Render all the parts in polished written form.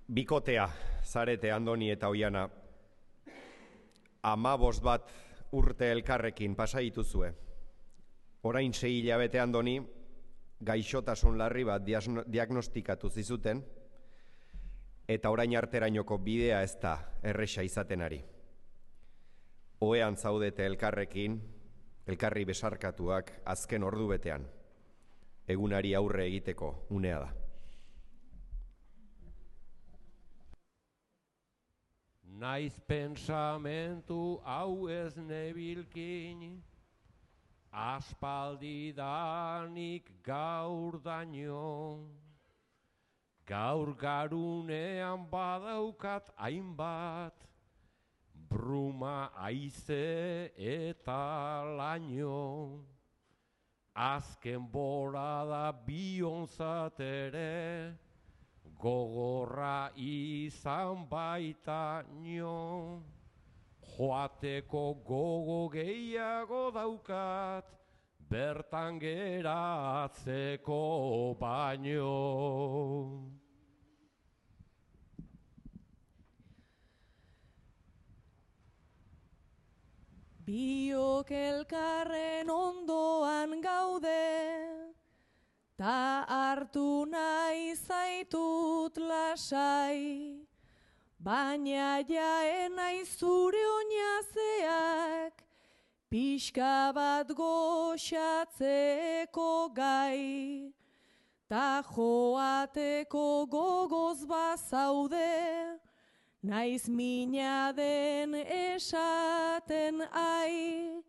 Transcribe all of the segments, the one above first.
Bikotea, Zarete, Andoni eta Oiana, 15 bat urte elkarrekin pasa dituzue. Orain 6 hilabete Andoni, gaixotasun larri bat diagnostikatu zizuten, eta orain arterainoko bidea ez da erresa izaten ari. Ohean zaudete elkarrekin, elkarri besarkatuak azken ordu betean. Egunari aurre egiteko unea da. Naiz pensamentu hau ez nebilkin, aspaldidanik gaur daño. Gaur garunean badaukat hainbat, bruma haize eta laino. Azken borada bionzat ere, gogorra izan baita nio. Joateko gogo gehiago daukat, bertan geratzeko baino. Biok elkarren ondoan gaude, ta hartu nahi zaitut lasai, baina jaen naiz zure oinazeak, pixka bat goxatzeko gai, ta joateko gogoz bazaude, naiz mina den esaten ai,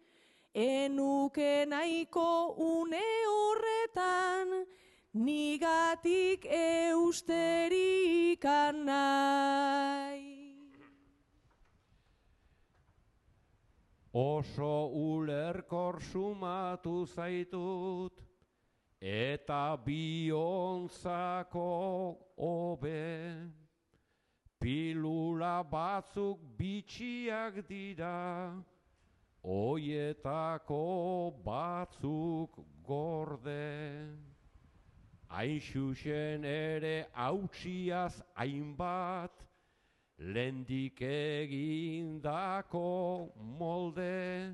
enuke nahiko une horretan, nigatik eusterikan nahi. Oso ulerkor sumatu zaitut, eta bionzako hobe. Pilula batzuk bitxiak dira, oietako batzuk gorde. Hain xuxen ere hautsiaz hainbat, lendik egindako molde.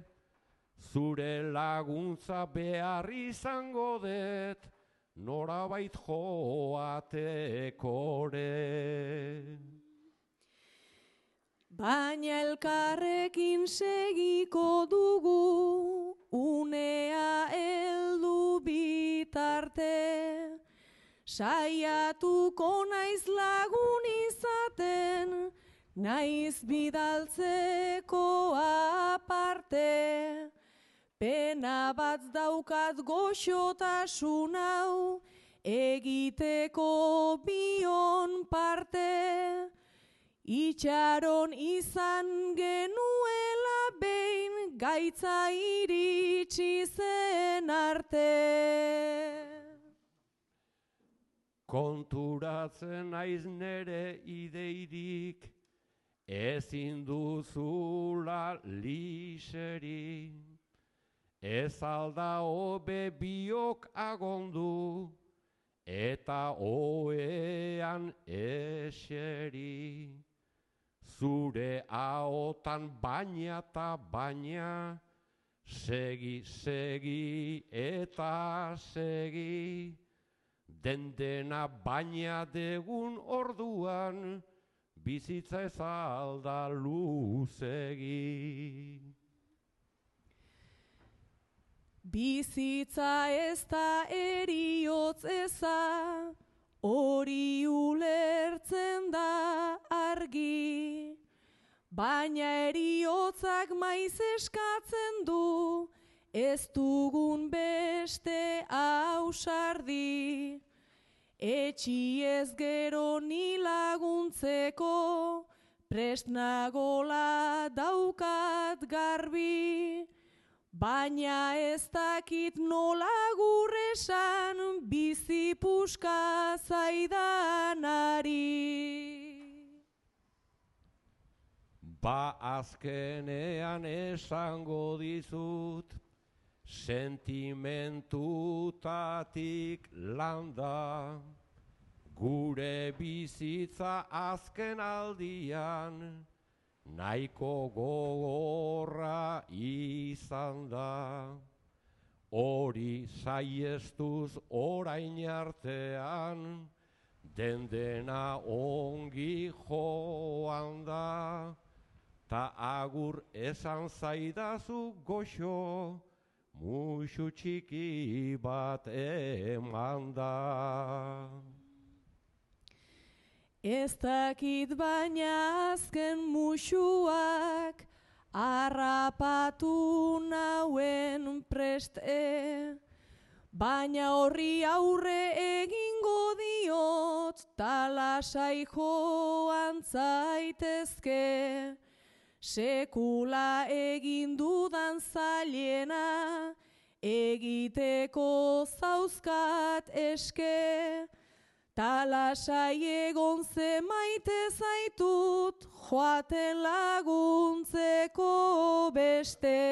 Zure laguntza behar izango dut, norabait joatekore. Baina elkarrekin segiko dugu, unea heldu bitarte. Saiatuko naiz lagun izaten, naiz bidaltzeko aparte. Pena bat daukat goxotasun hau, egiteko bion parte. Itxaron izan genuela behin, gaitza iritsi zen arte. Konturatzen naiz nere ideirik, ezin duzula liseri. Ez alda hobe biok agondu, eta ohean eseri. Zure ahotan baina eta baina, segi, segi eta segi. Dendena baina degun orduan, bizitza ez alda luzegi. Bizitza ez da eriotz eza, hori ulertzen da argi. Baina eriotzak maiz eskatzen du, ez dugun beste ausardi. Etxi ez gero ni laguntzeko, prest nagola daukat garbi. Baina ez dakit nola gurresan, bizi puska zaidanari. Ba azkenean esango dizut, sentimentutatik landa, Gure bizitza azken aldian nahiko gogorra izan da. Hori saiestuz orain artean dena ongi joan da. Ta agur esan zaidazu goxo, musu txiki bat eman da. Ez dakit baina azken musuak harrapatu nauen preste, baina horri aurre egingo diot ta lasai joan zaitezke. Sekula egin dudan zailena egiteko zauzkat eske. Ta lasai egon ze maite zaitut joaten laguntzeko beste.